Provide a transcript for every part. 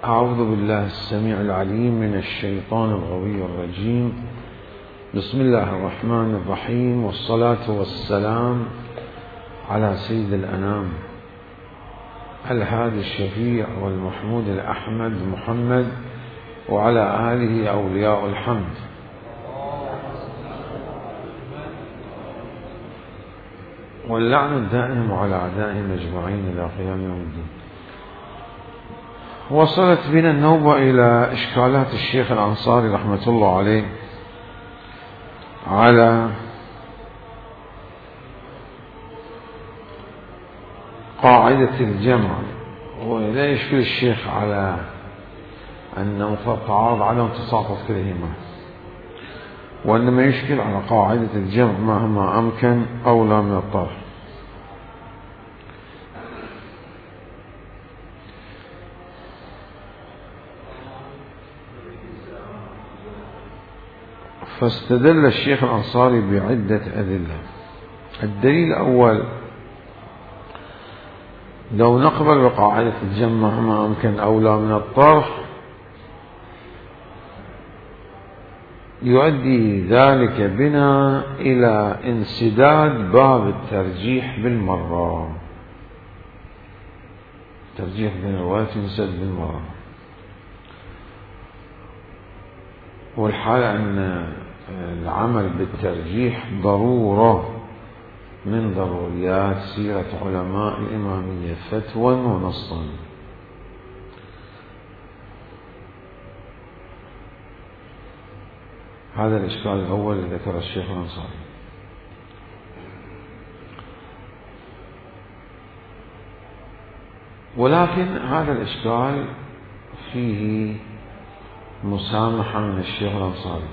أعوذ بالله السميع العليم من الشيطان الغوي الرجيم. بسم الله الرحمن الرحيم، والصلاة والسلام على سيد الأنام الهادي الشفيع والمحمود الأحمد محمد، وعلى آله أولياء الحمد. واللعن الدائم على أعدائهم أجمعين إلى قيام يوم الدين. وصلت بنا النوبة إلى إشكالات الشيخ الأنصاري رحمة الله عليه على قاعدة الجمع، ولا يشكل الشيخ على أن تعارض عدم تساقط كلهما، وإنما يشكل على قاعدة الجمع مهما أمكن أولى من الطرح. فاستدل الشيخ الأنصاري بعدة أدلة. الدليل الأول: لو نقبل بقاعدة الجمع مهما أمكن أولى من الطرح، يؤدي ذلك بنا إلى انسداد باب الترجيح بالمرة. الترجيح بين الروايات ينسد بالمرة، والحال أن العمل بالترجيح ضرورة من ضروريات سيرة علماء الإمامية فتوى ونصا. هذا الإشكال الأول الذي ذكر الشيخ الأنصاري. ولكن هذا الإشكال فيه مسامحة من الشيخ الأنصاري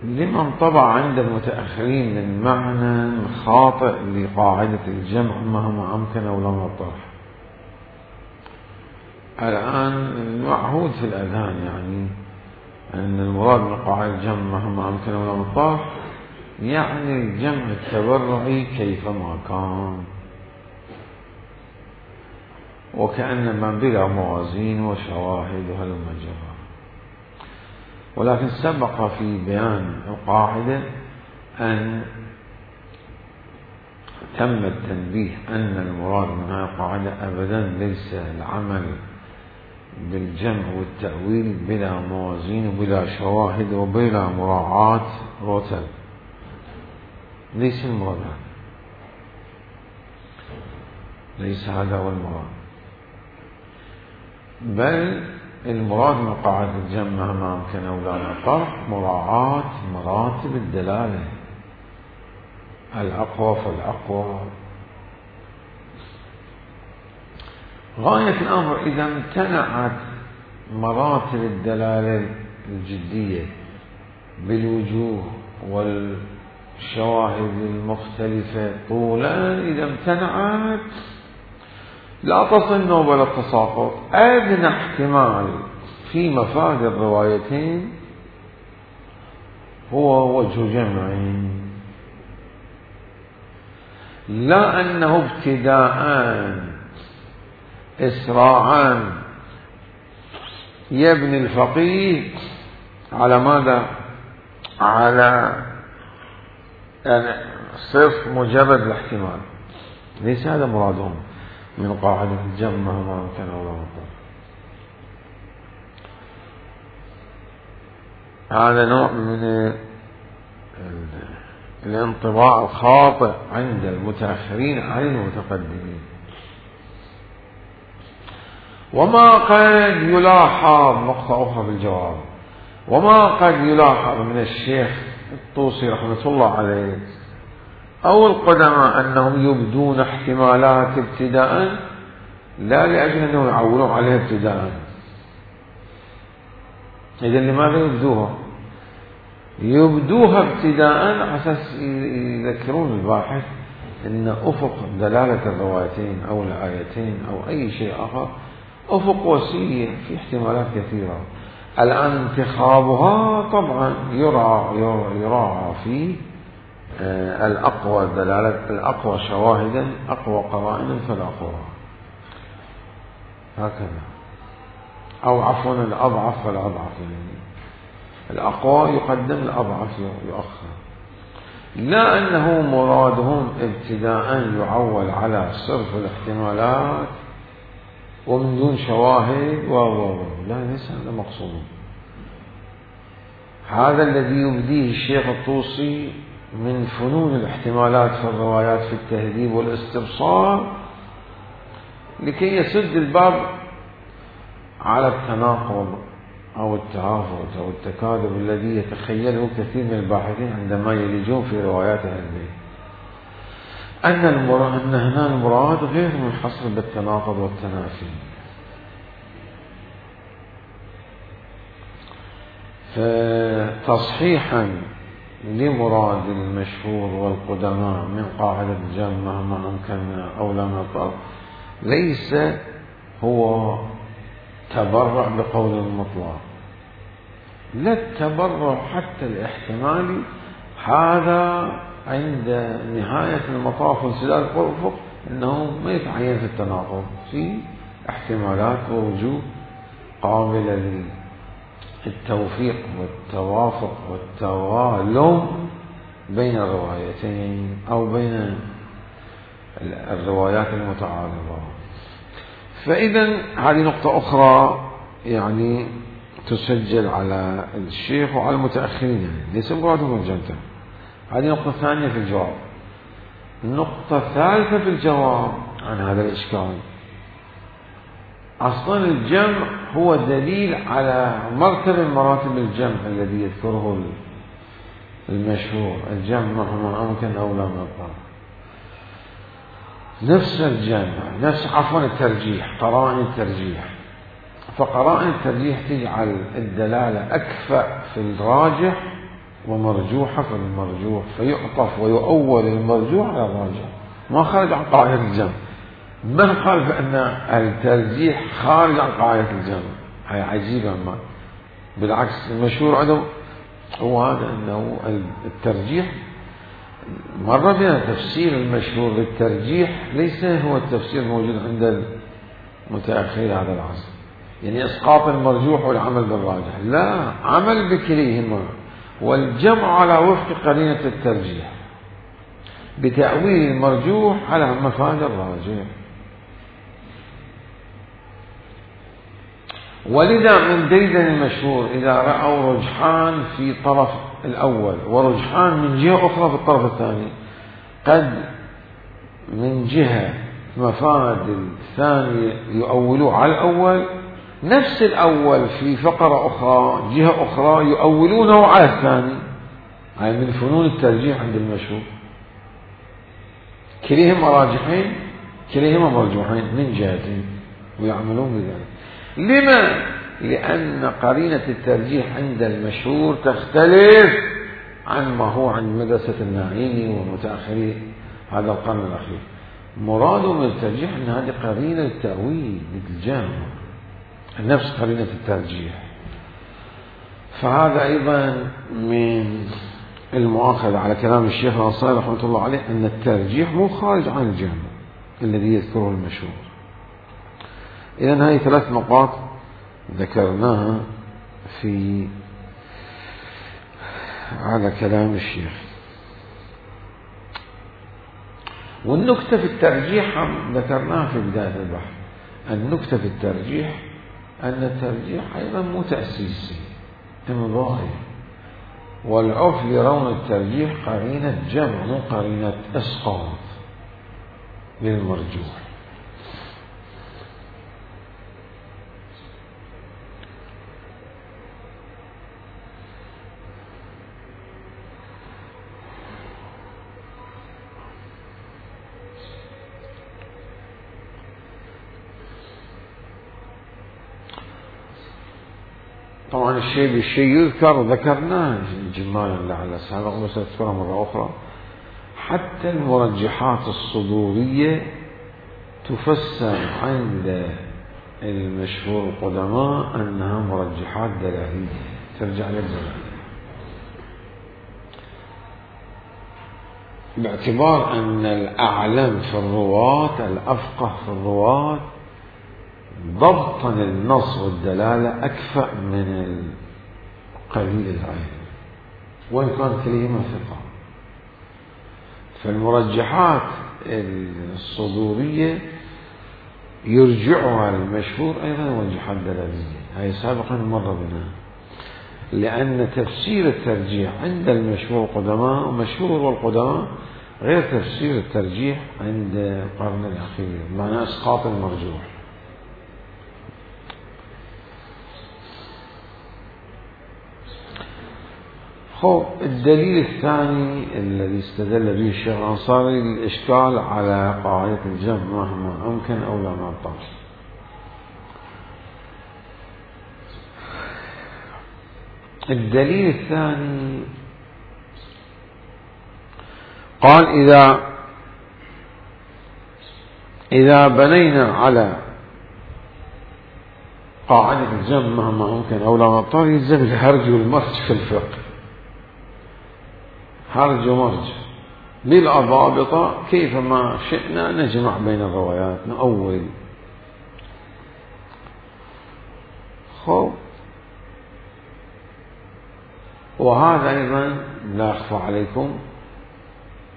لما انطبع عند المتأخرين من معنى خاطئ لقاعدة الجمع مهما أمكن أولى من الطرح. الآن المعهود في الأذهان يعني أن المراد من قاعدة الجمع مهما أمكن أولى من الطرح يعني الجمع التبرعي كيفما كان، وكأنما بلا موازين وشواهد وهلم جرى. ولكن سبق في بيان القاعدة أن تم التنبيه أن المراد من هذه القاعدة أبدا ليس العمل بالجمع والتأويل بلا موازين وبلا شواهد وبلا مراعاة رتب، ليس المراد هذا، ليس هذا هو المراد، بل المراد من قاعدة الجمع مهما أمكن أولى من الطرح مراعاة مراتب الدلالة، الأقوى فالأقوى. غاية الأمر إذا امتنعت مراتب الدلالة الجدية بالوجوه والشواهد المختلفة طولا، إذا امتنعت لا تصل نوبة التساقط. أدنى احتمال في مفاد الروايتين هو وجه جمعين، لا أنه ابتداء إسراعا يبني الفقيه على ماذا؟ على يعني صرف مجرد الاحتمال. ليس هذا مرادهم من قاعدة الجمع مهما أمكن أولى من الطرح. هذا نوع من الانطباع الخاطئ عند المتأخرين عن المتقدمين. وما قد يلاحظ نقطة أخرى بالجواب، وما قد يلاحظ من الشيخ الطوسي رحمة الله عليه أو القدماء أنهم يبدون احتمالات ابتداء لا لأجل أنهم يعولون عليها ابتداء. إذن لماذا يبدوها؟ يبدوها ابتداء على أساس يذكرون الباحث أن أفق دلالة الروايتين أو الآيتين أو أي شيء آخر أفق وسيع في احتمالات كثيرة. الآن انتخابها طبعا يراعى فيه الأقوى دلالة، الأقوى شواهدا، أقوى قرائنا فالأقوى. هكذا، أو عفوا الأضعف فالأضعف، يعني الأقوى يقدم، الأضعف يؤخر. لا أنه مرادهم ابتداء يعول على صرف الاحتمالات ومن دون شواهد لا، ليس هذا مقصود. هذا الذي يبديه الشيخ الطوسي من فنون الاحتمالات في الروايات في التهذيب والاستبصار لكي يسد الباب على التناقض أو التعافت أو التكاذب الذي يتخيله كثير من الباحثين عندما يلجون في روايات أهل البيت، أن هنا المراد غير منحصر بالتناقض والتنافي. فتصحيحا لمراد المشهور والقدماء من قاعدة الجمع مهما أمكننا أو لم نطق ليس هو تبرع بقول المطلق، لا التبرع حتى الاحتمالي، هذا عند نهاية المطاف وانسداد الأفق أنه ما يتعين في التناقض، في احتمالات ووجوه قابلة للتوفيق والتوافق والتوالم بين الروايتين أو بين الروايات المتعارضة. فإذا هذه نقطة أخرى يعني تسجل على الشيخ وعلى المتأخرين، يعني ليس مرادهم الجمع. هذه نقطة ثانية في الجواب. النقطة الثالثة في الجواب عن هذا الإشكال، أصلا الجمع هو دليل على مرتبة من مراتب الجمع الذي يذكره المشهور، الجمع مهما أمكن أو لا مطلق. نفس الجمع، نفس عفوا الترجيح، قرائن الترجيح. فقرائن الترجيح تجعل الدلالة أكفأ في الراجح ومرجوحة في المرجوح، فيعطف ويؤول المرجوح على الراجح، ما خرج عن قاعدة الجمع. من قال بأن الترجيح خارج عن قاعدة الجمع؟ هي عجيبة. ما بالعكس المشهور عندهم هو هذا، أنه الترجيح مرة بنا تفسير المشهور للترجيح ليس هو التفسير الموجود عند المتأخرين هذا العصر، يعني إسقاط المرجوح والعمل بالراجح، لا، عمل بكليهما والجمع على وفق قرينة الترجيح بتأويل المرجوح على مفاد الراجح. ولذا من ديدن المشهور إذا رأوا رجحان في طرف الأول ورجحان من جهة أخرى في الطرف الثاني، قد من جهة مفاد الثاني يؤولوه على الأول، نفس الأول في فقرة أخرى جهة أخرى يؤولونه على الثاني. هاي من فنون الترجيح عند المشهور، كليهما راجحين كليهما مرجوحين من جهتين ويعملون بذلك. لما؟ لأن قرينة الترجيح عند المشهور تختلف عن ما هو عند مدرسة الناعيني ومتأخري هذا القرن الأخير. مرادهم من الترجيح أن هذه قرينة التأويل للجامع، نفس قرينة الترجيح. فهذا أيضا من المؤاخذة على كلام الشيخ الأنصاري رحمة الله عليه أن الترجيح مو خارج عن الجامع الذي يذكره المشهور. إذن هذه 3 نقاط ذكرناها في على كلام الشيخ. والنكتة في الترجيح ذكرناها في بداية البحث. النكتة في الترجيح أن الترجيح أيضا مو تأسيسي، إمضائي، والعرف يرون الترجيح قرينة جمع مو قرينة إسقاط للمرجوح. طبعا الشيء يذكر ذكرناه جمالا لعل سابق، بس أذكره مرة أخرى. حتى المرجحات الصدورية تفسر عند المشهور القدماء أنها مرجحات دلالية، ترجع للدلالة، باعتبار أن الأعلم في الرواة الأفقه في الرواة ضبطا النص والدلالة أكفأ من قليل العلم وإن كان كلمة ثقة. فالمرجحات الصدورية يرجعها المشهور أيضا مرجحات دلالية، هاي سابقا مر بنا، لأن تفسير الترجيح عند المشهور القدماء ومشهور والقدماء غير تفسير الترجيح عند القرن الأخير، معنى إسقاط المرجوح. الدليل الثاني الذي استدل به الشيخ الأنصاري للإشكال على قاعدة الجمع مهما أمكن أو لا معطل. الدليل الثاني قال إذا بنينا على قاعدة الجمع مهما أمكن أو لا معطل يلزم الهرج والمرج في الفقه، هرج ومرج بالأضابط كيفما شئنا نجمع بين الروايات نؤول. وهذا أيضا لا أخفى عليكم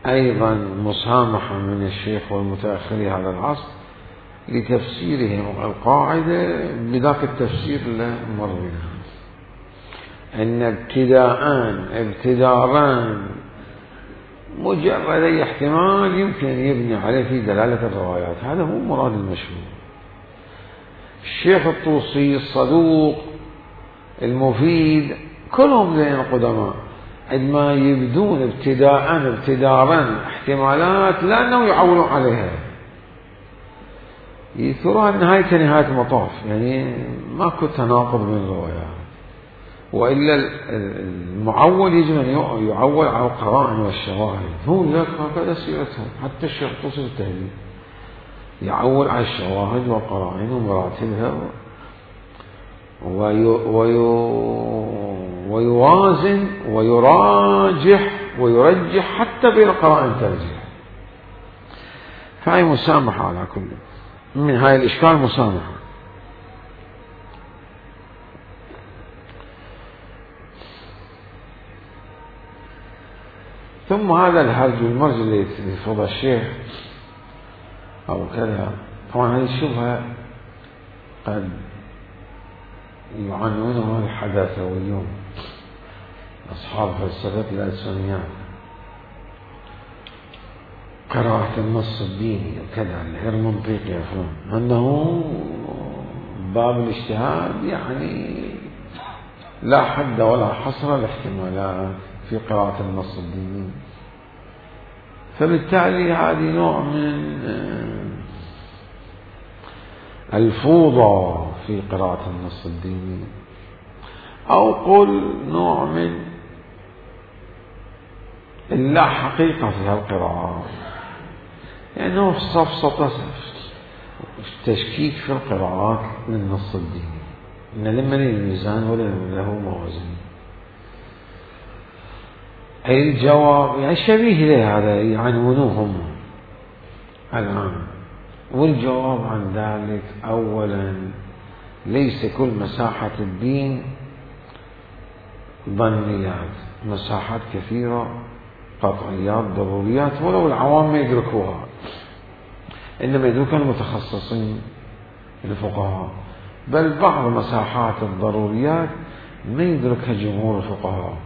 أيضا مسامحة من الشيخ والمتأخري هذا العصر لتفسيرهم القاعدة بذاك التفسير اللي مر بنا، أن ابتداران مجرد أي احتمال يمكن أن يبني عليه في دلالة الروايات، هذا هو مراد المشهور. الشيخ الطوسي الصدوق المفيد كلهم زين القدماء عندما يبدون ابتدارا احتمالات لأنه يعولون عليها يذكرها النهاية كنهاية المطاف، يعني ماكو تناقض بين الروايات، وإلا المعول يجب أن يعول على القرائن والشواهد، هو لك هكذا سيرتهم. حتى الشيخ الطوسي التهذيب يعول على الشواهد والقرائن ومراتبها ويوازن ويرجح حتى بين قرائن ترجيح. فهي مسامحة على كل من هاي الإشكال، مسامحة. ثم هذا الهرج والمرج اللي يفرض الشيخ أو كذا، طبعا هذه الشبهة قد يعنونها الحداثويون أصحاب فلسفة الألسنيات، قراءة النص الديني وكذا غير منطقي يفهم أنه باب الاجتهاد، يعني لا حد ولا حصر الاحتمالات في قراءة النص الديني. فبالتالي هذه نوع من الفوضى في قراءة النص الديني، أو قل نوع من اللا حقيقة في هالقراءات، لأنه يعني سفسطة تشكيك في القراءات للنص الديني، إن لمن الميزان ولا له موازين. أي الجواب يعني شبيه له هذا يعنونوهم الآن، والجواب عن ذلك أولا ليس كل مساحة الدين ظنيات، مساحات كثيرة قطعيات ضروريات ولو العوام ما يدركوها، إنما يدركها المتخصصين الفقهاء، بل بعض مساحات الضروريات ما يدركها جمهور الفقهاء،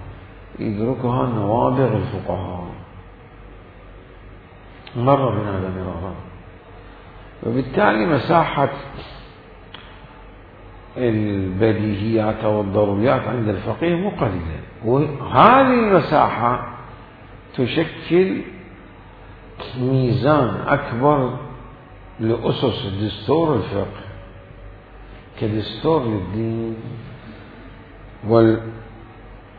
يدركها نوابغ الفقهاء، مر بنا هذا مرارا. وبالتالي مساحة البديهيات أو الضروريات عند الفقيه مقلدة، وهذه المساحة تشكل ميزان أكبر لأسس دستور الفقه كدستور للدين.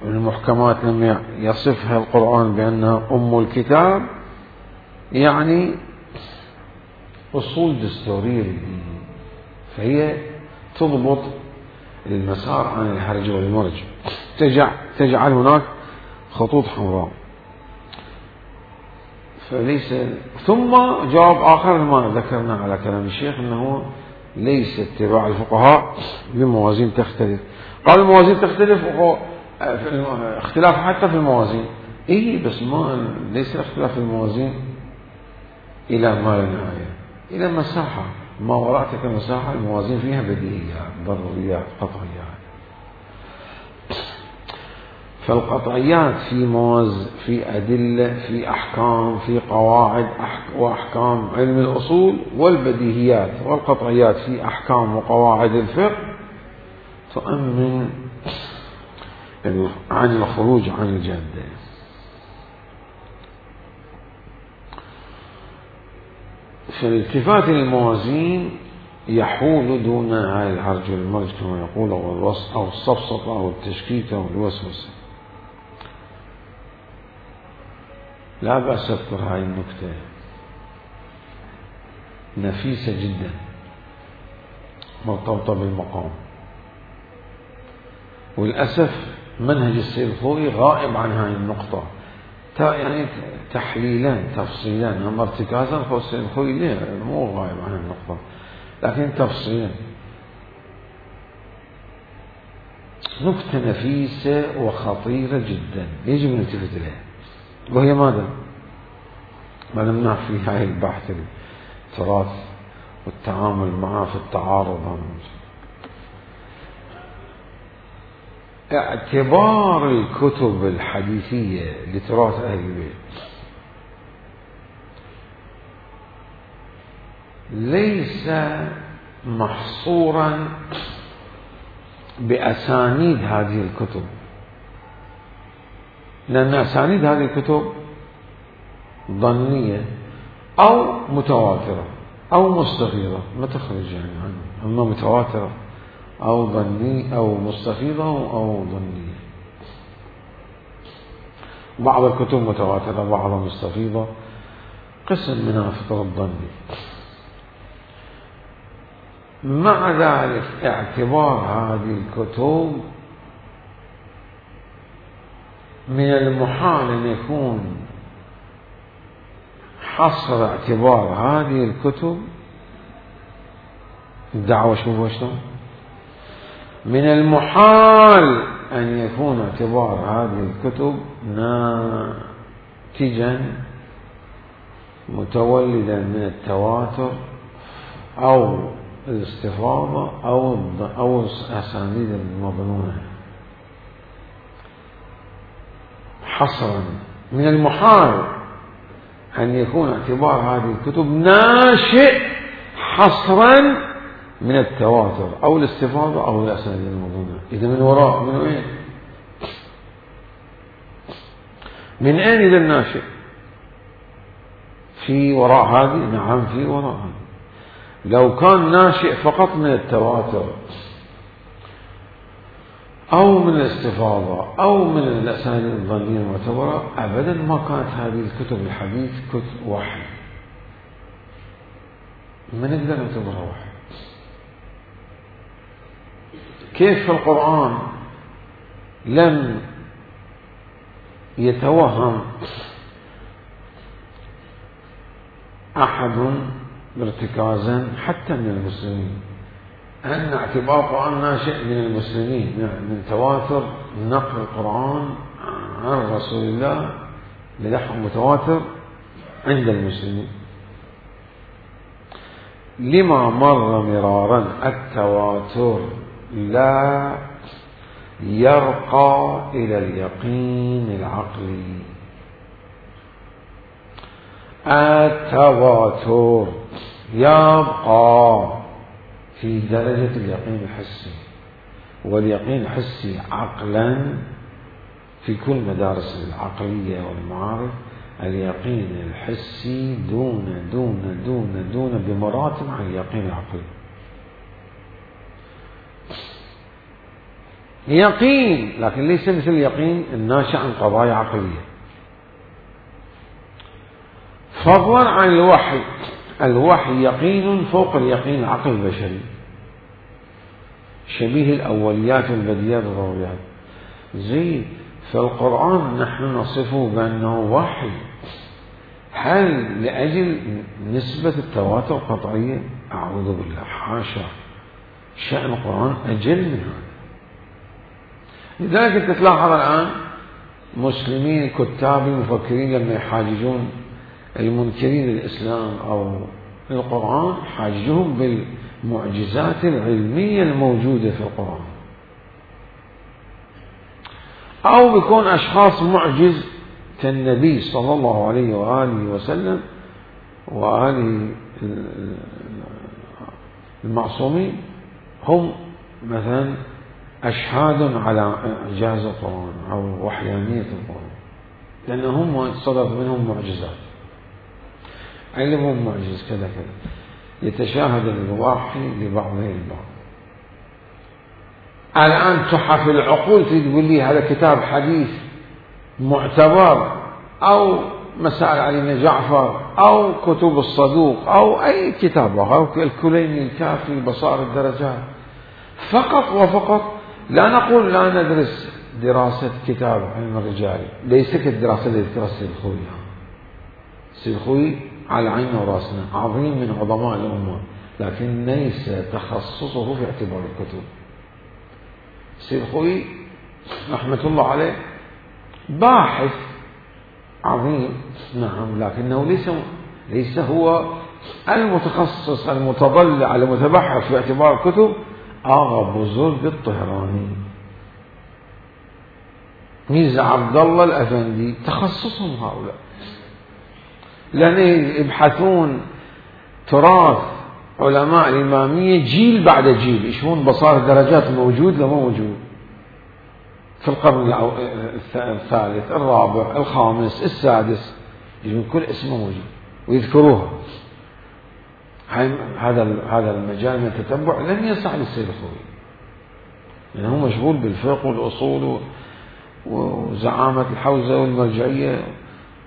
والمحكمات لما يصفها القرآن بأنها أم الكتاب، يعني أصول دستورية للدين، فهي تضبط المسار عن الهرج والمرج، تجعل هناك خطوط حمراء. فليس ثم جواب آخر ما ذكرنا على كلام الشيخ أنه ليس اتباع الفقهاء بموازين تختلف. قال الموازين تختلف، اختلاف حتى في الموازين، بس ما ليس الاختلاف في الموازين إلى ما لا نهاية، إلى مساحة ما وراء تلك المساحة الموازين فيها بديهيات ضروريات قطعيات. فالقطعيات في أدلة، في أحكام، في قواعد وأحكام علم الأصول، والبديهيات والقطعيات في أحكام وقواعد الفقه تؤمن عن الخروج عن الجادة. فالالتفات الموازين يحول دون العرج والمرج كما يقول، أو الوصف أو السفسطة أو التشكيك أو الوسوسة. لا بأس أذكر هاي النكتة نفيسة جدا مرتبطة بالمقام، وللأسف منهج السيد الخوئي غائب عن هاي النقطة، يعني تحليلا تفصيلا، أما ارتكازا فالسيد الخوئي ليه مو غائب عن النقطة، لكن تفصيلا. نكتة نفيسة وخطيرة جدا يجب أن نلتفت إليها، وهي ماذا؟ ما نمنع في هاي البحث التراث والتعامل معه في التعارض. اعتبار الكتب الحديثية لتراث أهل البيت ليس محصورا بأسانيد هذه الكتب، لأن أسانيد هذه الكتب ظنية أو متواترة أو مستفيضة، ما تخرج يعني عنه، أما متواترة أو ظني أو مستفيضة أو ظنية. بعض الكتب متواترة بعضها مستفيضة، قسم منها فطر الظني. مع ذلك اعتبار هذه الكتب من المحال أن يكون حصر اعتبار هذه الكتب الدعوة، شوفوا شلون، من المحال أن يكون اعتبار هذه الكتب ناتجا متولدا من التواتر أو الاستفاضة أو أسانيد المظنونة. حصرا من المحال أن يكون اعتبار هذه الكتب ناشئ حصرا من التواتر أو الاستفاضة أو الأسانيد المظنونة. إذا من وراء من أين؟ من أين إذا الناشئ؟ في وراء هذه؟ نعم في وراء هذه. لو كان ناشئ فقط من التواتر أو من الاستفاضة أو من الأسانيد الظنية المعتبرة أبدا ما كانت هذه الكتب الحديث كتب وحي، ما نقدر نعتبرها وحي. كيف في القرآن لم يتوهم أحد ارتكازا حتى من المسلمين أن اعتبار القرآن ناشئ من المسلمين، من تواتر نقل القرآن عن رسول الله لنحو متواتر عند المسلمين، لما مر مرارا التواتر لا يرقى إلى اليقين العقلي. التواتر يبقى في درجة اليقين الحسي، واليقين الحسي عقلا في كل مدارس العقلية والمعارف اليقين الحسي دون دون دون دون بمراتب عن اليقين العقلي. يقين لكن ليس مثل اليقين الناشئ عن قضايا عقلية، فضلا عن الوحي. الوحي يقين فوق اليقين العقل البشري، شبيه الأوليات والبديات والضروريات. زي في القرآن نحن نصفه بأنه وحي، هل لأجل نسبة التواتر قطعية؟ أعوذ بالله، حاشا، شأن القرآن أجل من هذا. لذلك أنت تلاحظ الآن مسلمين كتاب المفكرين لما يحاججون المنكرين للإسلام أو القرآن حاججهم بالمعجزات العلمية الموجودة في القرآن، أو بيكون أشخاص معجز كالنبي صلى الله عليه وآله وسلم وآله المعصومين، هم مثلا أشهاد على إعجاز القرآن أو وحيانية القرآن، لأنهم صدر منهم معجزات، علمهم معجز كذا كذا، يتشاهد الوحي لبعضه البعض. الآن تحف العقول تقول لي هذا كتاب حديث معتبر، أو مسائل علي بن جعفر، أو كتب الصدوق، أو أي كتاب، أو الكليني الكافي، بصائر الدرجات، فقط وفقط. لا نقول لا ندرس دراسة كتاب علم الرجال، ليس كالدراسة التي تدرس السيد الخوئي. السيد الخوئي على عيننا وراسنا، عظيم من عظماء الأمة، لكن ليس تخصصه في اعتبار الكتب. السيد الخوئي رحمة الله عليه باحث عظيم، نعم، لكنه ليس هو المتخصص المتضلع المتبحث في اعتبار الكتب. آغا بزرگ الطهراني، ميرزا عبد الله الأفندي، تخصصهم هؤلاء، لأن يبحثون تراث علماء الإمامية جيل بعد جيل، يشوفون بصائر الدرجات موجود لما موجود في القرن الثالث، الرابع، الخامس، السادس، يجون كل اسمه موجود ويذكروها. هذا المجال من التتبع لم يسع للسيد الخوئي، لأنه يعني مشغول بالفقه والأصول وزعامة الحوزة والمرجعية،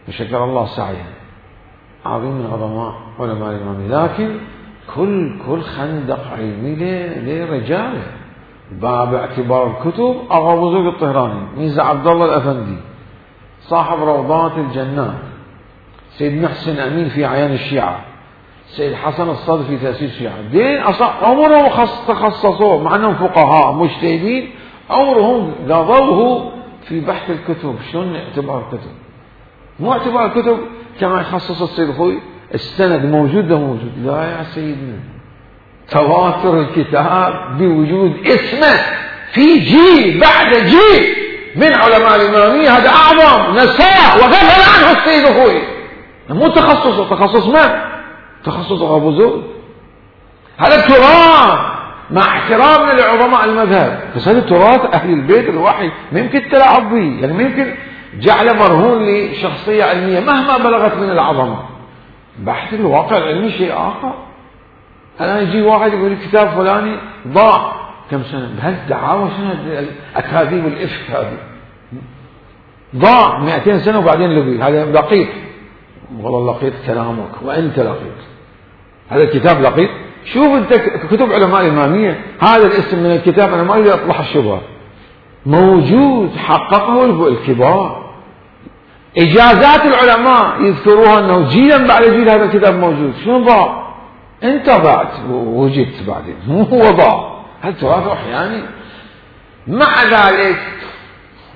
وشكر الله سعيه، عظيم من عظماء علماء الإمامية. لكن كل خندق علمي لرجاله، باب اعتبار الكتب أغا بزرگ الطهراني، ميرزا عبد الله الأفندي صاحب روضات الجنات، سيد محسن أمين في أعيان الشيعة، سيد حسن الصدر في تأسيس الشيعة، دين عمرهم تخصصوا، مع أنهم فقهاء مجتهدين، عمرهم قضوه في بحث الكتب. شلون اعتبار الكتب؟ مو اعتبار الكتب كما يخصص السيد الخوئي، السند موجود ده موجود. لا يا سيدنا، تواتر الكتاب بوجود اسمه في جيل بعد جيل من علماء الإمامية، هذا أعظم نساء وغفل عنه السيد الخوئي. مو تخصصه، تخصص من؟ تخصص أبو زود. هذا التراث مع احترامنا لعظماء المذهب، بس هذا تراث أهل البيت الوحي ما يمكن تلعب به، يعني ما يمكن جعله مرهون لشخصية علمية مهما بلغت من العظمة. بحث الواقع العلمي شيء آخر. الآن يجي واحد يقول كتاب فلاني ضاع كم سنة، بهالدعاوى شنو أكاذيب الإفك هذه؟ ضاع 200 سنة وبعدين لقي، هذا لقيط. والله لقيت كلامك وأنت لقيت، هذا الكتاب لقيط. شوف أنت كتب علماء الإمامية، هذا الاسم من الكتاب أنا ما أريد أطلع الشبهة، موجود، حققه الكبار، إجازات العلماء يذكروها أنه جيلا بعد جيل هذا الكتاب موجود. شنو ضاع؟ أنت ضعت ووجدت بعدين، مو هو ضاع. هل تراث أحياني؟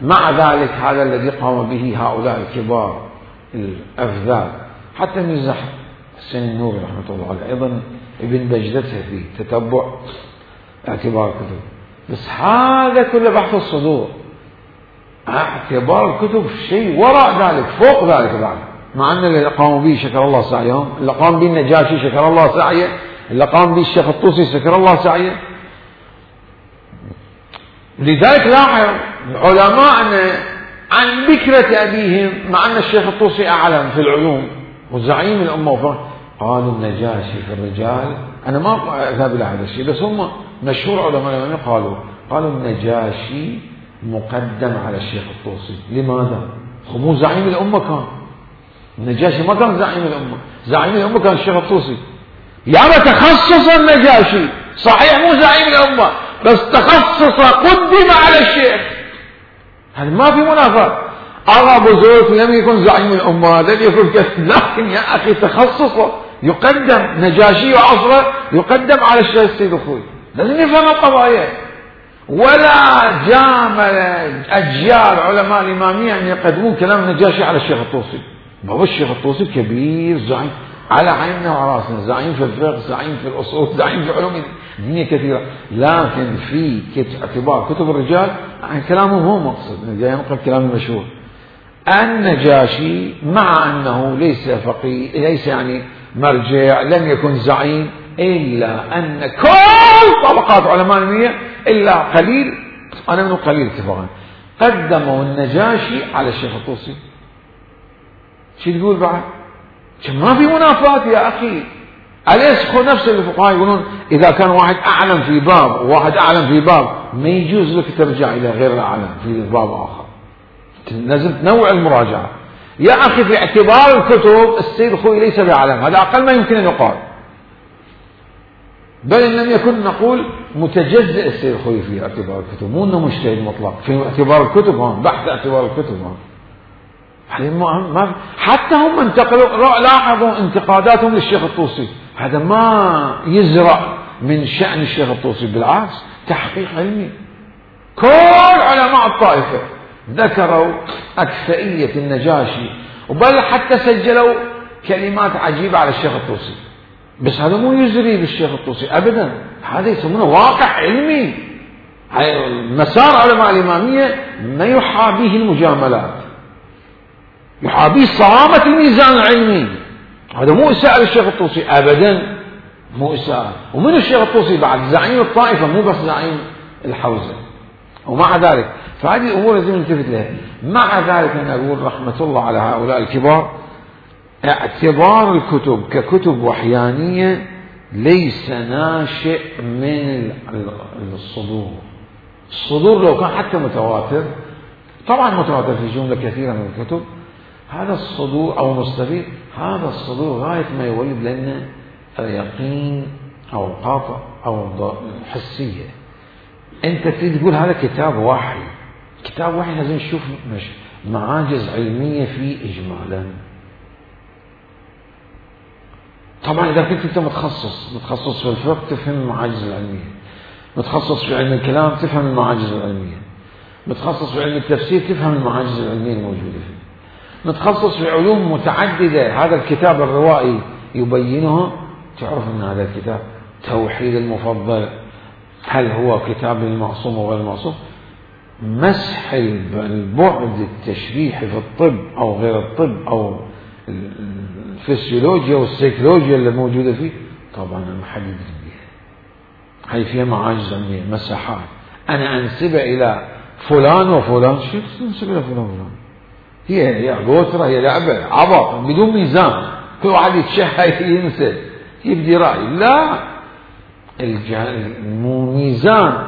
مع ذلك هذا الذي قام به هؤلاء الكبار الأفذاذ، حتى ميرزا حسين النوري رحمة الله عليه أيضا ابن بجدته في تتبع اعتبار الكتب. بس هذا كله بحث الصدور، اعتبار الكتب شيء وراء ذلك، فوق ذلك بعد. مع أن اللي قاموا به شكر الله سعيهم، اللي قام به النجاشي شكر الله سعيه، اللي قام به الشيخ الطوسي شكر الله سعيه. لذلك لاحظ علماءنا عن بكرة أبيهم، مع أن الشيخ الطوسي أعلم في العلوم وزعيم الأمة، قالوا النجاشي في الرجال. أنا ما أذهب إلى هذا الشيء، بس هم مشهور علماء قالوا النجاشي مقدم على الشيخ الطوسي. لماذا؟ مو زعيم الأمة كان النجاشي، ما كان زعيم الأمة، زعيم الأمة كان الشيخ الطوسي. يعني تخصص النجاشي صحيح مو زعيم الأمة، بس تخصص قدم على الشيخ، هذا ما في منافاة. أغا أبو زود لم يكن زعيم الأمة، لم يكن كذا، لكن يا أخي تخصصه يقدم نجاشي وعصره يقدم على الشيخ السيد الخوئي، لازم يفهم القضايا. ولا جامل أجيال علماء الإمامية أن يقدمون كلام النجاشي على الشيخ الطوسي. بابا الشيخ الطوسي كبير زعيم على عيننا وراسنا، زعيم في الفقه، زعيم في الأصول، زعيم في علوم دينية كثيرة، لكن في اعتبار كتب الرجال عن كلامه هو مقصد، جاي نقل كلام المشهور. النجاشي مع أنه ليس فقيه، ليس يعني مرجع، لم يكن زعيم، إلا أن كل طبقات علماء الإمامية إلا قليل، أنا من قليل اتفاقا، قدموا النجاشي على الشيخ الطوسي. شو تقول بعد؟ ما في منافاة يا أخي. أليس نفس الفقهاء يقولون إذا كان واحد أعلم في باب وواحد أعلم في باب ما يجوز لك ترجع إلى غير الأعلم في باب آخر، لازم تنوع المراجعة يا أخي. في اعتبار الكتب السيد الخوئي ليس بأعلم، هذا أقل ما يمكن أن يقال، بل إن لم يكن نقول متجزئ السيد الخوئي في اعتبار الكتب، مو أنه مجتهد مطلق في اعتبار الكتب، بحث اعتبار الكتب. حتى هم انتقلوا، لاحظوا انتقاداتهم للشيخ الطوسي، هذا ما يزرع من شأن الشيخ الطوسي، بالعكس تحقيق علمي. كل علماء الطائفة ذكروا أكفئية النجاشي، وبل حتى سجلوا كلمات عجيبة على الشيخ الطوسي، بس هذا مو يزري بالشيخ الطوسي أبدا، هذا يسمونه واقع علمي. مسار علماء الإمامية ما يحابيه المجاملات، يحابيه صرامة الميزان العلمي. هذا مو إساءة للشيخ الطوسي أبدا، مو إساءة. ومن الشيخ الطوسي بعد زعيم الطائفة، مو بس زعيم الحوزة. ومع ذلك فهذه الأمور لازم نلتفت لها. مع ذلك أنا أقول رحمة الله على هؤلاء الكبار، اعتبار الكتب ككتب وحيانية ليس ناشئ من الصدور. الصدور لو كان حتى متواتر، طبعا متواتر في جملة كثيرة من الكتب، هذا الصدور أو مستفيد، هذا الصدور غاية ما يولد لنا يقين أو قاطع أو حسية. أنت تريد تقول هذا كتاب وحي، كتاب وحي لازم نشوف معاجز علمية فيه إجمالا. طبعا إذا كنت أنت متخصص في الفقه تفهم المعاجز العلمية، متخصص في علم الكلام تفهم المعاجز العلمية، متخصص في علم التفسير تفهم المعاجز العلمية الموجودة فيه، متخصص في علوم متعددة هذا الكتاب الروائي يبينها، تعرف أن هذا الكتاب توحيد المفضل، هل هو كتاب للمعصوم وغير المعصوم، مسح البعد التشريحي في الطب أو غير الطب أو الفسيولوجيا والسيكولوجيا اللي موجودة فيه، طبعا ما حد يدري بها، هي فيها معاجز علمية، مساحات. أنا أنسبها إلى فلان وفلان، شو تنسب إلى فلان وفلان؟ هي غوترة، هي لعبة عبط بدون ميزان، كل واحد يتشهى ينسى يبدي رأي. لا، الميزان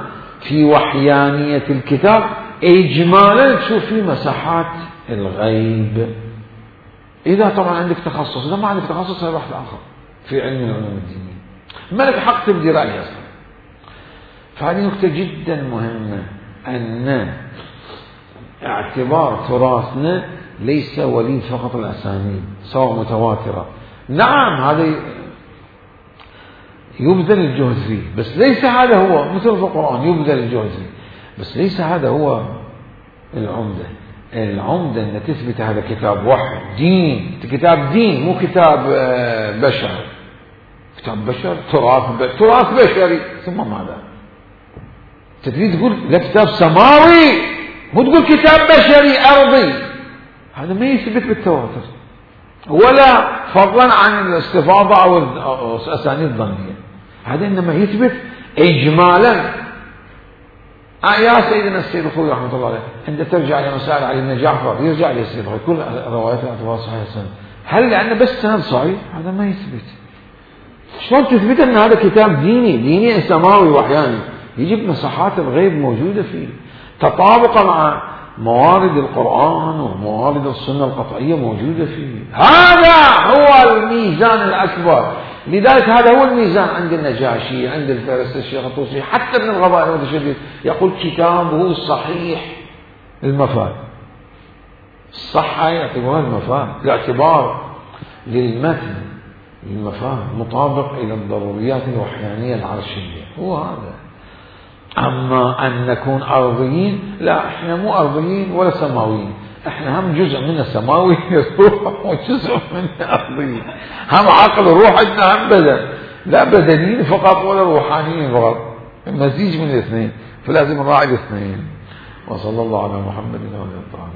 في وحيانية الكتاب إجمالا تشوف فيه مساحات الغيب. إذا طبعا عندك تخصص، إذا ما عندك تخصص هذا بحث آخر في علم العلوم الدينية، ما لك حق تبدي رأي أصلا. فهذه نقطة جدا مهمة، أن اعتبار تراثنا ليس وليد فقط الأسانيد سواء متواترة. نعم هذا يبذل الجهد فيه، بس ليس هذا هو، مثل في القرآن يبذل الجهد فيه، بس ليس هذا هو العمدة. العمدة أن تثبت هذا كتاب وحي دين، كتاب دين مو كتاب بشر. كتاب بشر تراث بشري، ثم ماذا؟ تريد تقول لا كتاب سماوي، مو تقول كتاب بشري أرضي. هذا ما يثبت بالتواتر ولا فضلا عن الاستفاضة أو الأسانيد الظنية، هذا إنما يثبت إجمالا. يا سيدنا السيد الخوئي رحمة الله عليه عند ترجع إلى مسائل علي بن جعفر يرجع إلى السيد الخوئي كل روايات الاعتبار صحيح السند، هل لأن بس سند صحيح؟ هذا ما يثبت. شلون تثبت أن هذا كتاب ديني سماوي وحياني؟ يجب مساحات الغيب موجودة فيه، تطابق مع موارد القرآن وموارد السنة القطعية موجودة فيه. هذا هو الميزان الأكبر. لذلك هذا هو الميزان عند النجاشي، عند الفارس الشيخ الطوسي، حتى ابن الغبائي المتشدد يقول كتابه صحيح المفاد. الصحة يعتبرها المفاد، الاعتبار للمتن المفاهيم مطابق إلى الضروريات الوحيانية العرشية، هو هذا. أما أن نكون أرضيين، لا، إحنا مو أرضيين ولا سماويين، إحنا هم جزء من السماوي روح وجزء من الأرضي، هم عقل وروح، عندنا هم بدن، لا بدنيين فقط ولا روحانيين فقط، مزيج من الاثنين، فلازم نراعي الاثنين. وصلى الله على محمد وعلى آله.